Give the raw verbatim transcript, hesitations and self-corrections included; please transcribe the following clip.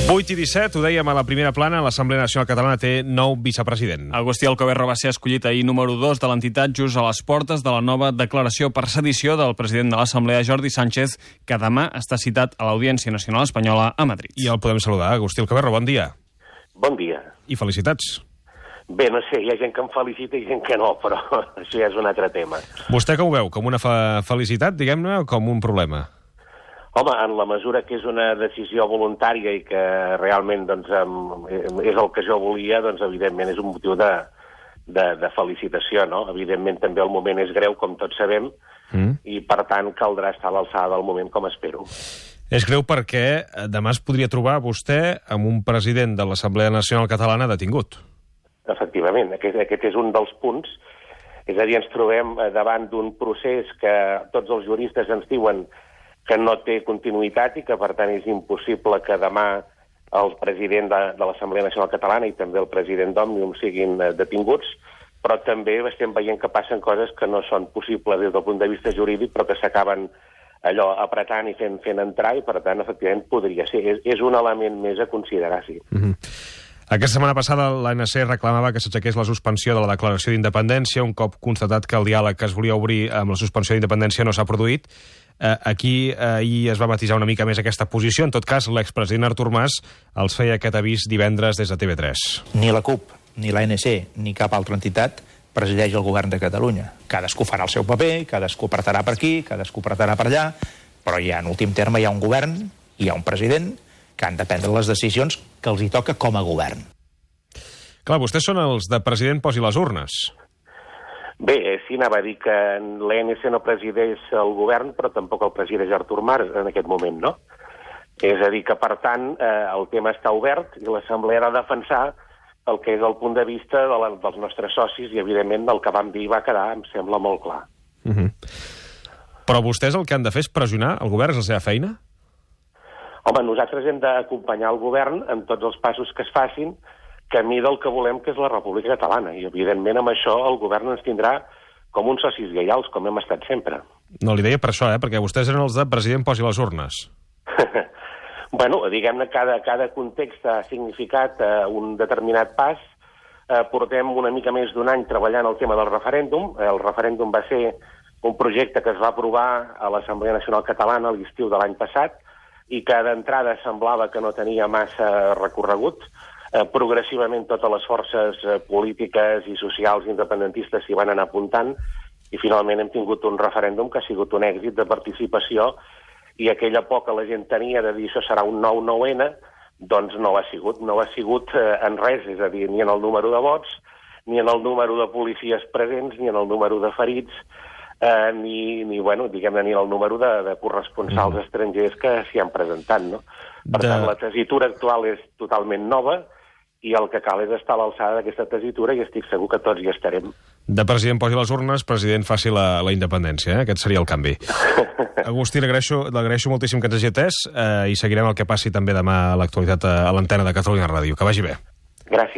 vuit i disset, ho dèiem a la primera plana, l'Assemblea Nacional Catalana té nou vicepresident. Agustí Alcoberro va ser escollit ahir número dos de l'entitat just a les portes de la nova declaració per sedició del president de l'Assemblea, Jordi Sánchez, que demà està citat a l'Audiència Nacional Espanyola a Madrid. I el podem saludar. Agustí Alcoberro, bon dia. Bon dia. I felicitats. Bé, no sé, hi ha gent que em felicita i gent que no, però això ja és un altre tema. Vostè com ho veu? Com una fe felicitat, diguem-ne, o com un problema? Home, en la mesura que és una decisió voluntària i que realment doncs, és el que jo volia, doncs evidentment és un motiu de, de, de felicitació, no? Evidentment també el moment és greu, com tots sabem, mm. i per tant caldrà estar a l'alçada del moment, com espero. És greu perquè demà es podria trobar vostè amb un president de l'Assemblea Nacional Catalana detingut. Efectivament, aquest, aquest és un dels punts. És a dir, ens trobem davant d'un procés que tots els juristes ens diuen que no té continuïtat i que, per tant, és impossible que demà el president de, de l'Assemblea Nacional Catalana i també el president d'Òmnium siguin eh, detinguts, però també estem veient que passen coses que no són possibles des del punt de vista jurídic, però que s'acaben allò apretant i fent, fent entrar, i, per tant, efectivament, podria ser. És, és un element més a considerar, sí. Mm-hmm. Aquesta setmana passada l'A N C reclamava que s'aixequés la suspensió de la declaració d'independència, un cop constatat que el diàleg que es volia obrir amb la suspensió d'independència no s'ha produït. Eh, aquí eh, ahir es va matisar una mica més aquesta posició. En tot cas, l'expresident Artur Mas els feia aquest avís divendres des de T V tres. Ni la CUP, ni l'A N C, ni cap altra entitat presideix el govern de Catalunya. Cadascú farà el seu paper, cadascú apretarà per aquí, cadascú apretarà per allà, però ja en últim terme hi ha un govern, hi ha un president, que han de prendre les decisions que els hi toca com a govern. Clar, vostès són els de president posi les urnes. Bé, sí, anava a dir que l'A N C no presideix el govern, però tampoc el presideix Artur Mas en aquest moment, no? És a dir, que per tant eh, el tema està obert i l'Assemblea ha de defensar el que és el punt de vista de la, dels nostres socis i, evidentment, el que vam dir va quedar, em sembla molt clar. Uh-huh. Però vostès el que han de fer és pressionar el govern, és la seva feina? Home, nosaltres hem d'acompanyar el govern en tots els passos que es facin camí del que volem, que és la República Catalana. I, evidentment, amb això el govern ens tindrà com uns socis lleials, com hem estat sempre. No, li deia per això, eh? Perquè vostès eren els de president posi les urnes. Bueno, diguem-ne, cada, cada context ha significat eh, un determinat pas. Eh, portem una mica més d'un any treballant el tema del referèndum. El referèndum va ser un projecte que es va aprovar a l'Assemblea Nacional Catalana a l'estiu de l'any passat i que d'entrada semblava que no tenia massa recorregut. Eh, progressivament totes les forces eh, polítiques i socials independentistes s'hi van anar apuntant i finalment hem tingut un referèndum que ha sigut un èxit de participació i aquella por que la gent tenia de dir això serà un nou nou ena, doncs no ho ha sigut. No ho ha sigut eh, en res, és a dir, ni en el número de vots, ni en el número de policies presents, ni en el número de ferits, eh, ni, ni, bueno, diguem-ne, ni en el número de, de corresponsals mm. estrangers que s'hi han presentat, no? Per de... tant, la tessitura actual és totalment nova i el que cal és estar a l'alçada d'aquesta tessitura i estic segur que tots hi estarem. De president posi les urnes, president faci la, la independència, eh? Aquest seria el canvi. Agustí, l'agraeixo moltíssim que ens hagi atès eh, i seguirem el que passi també demà a l'actualitat a l'antena de Catalunya Ràdio. Que vagi bé. Gràcies.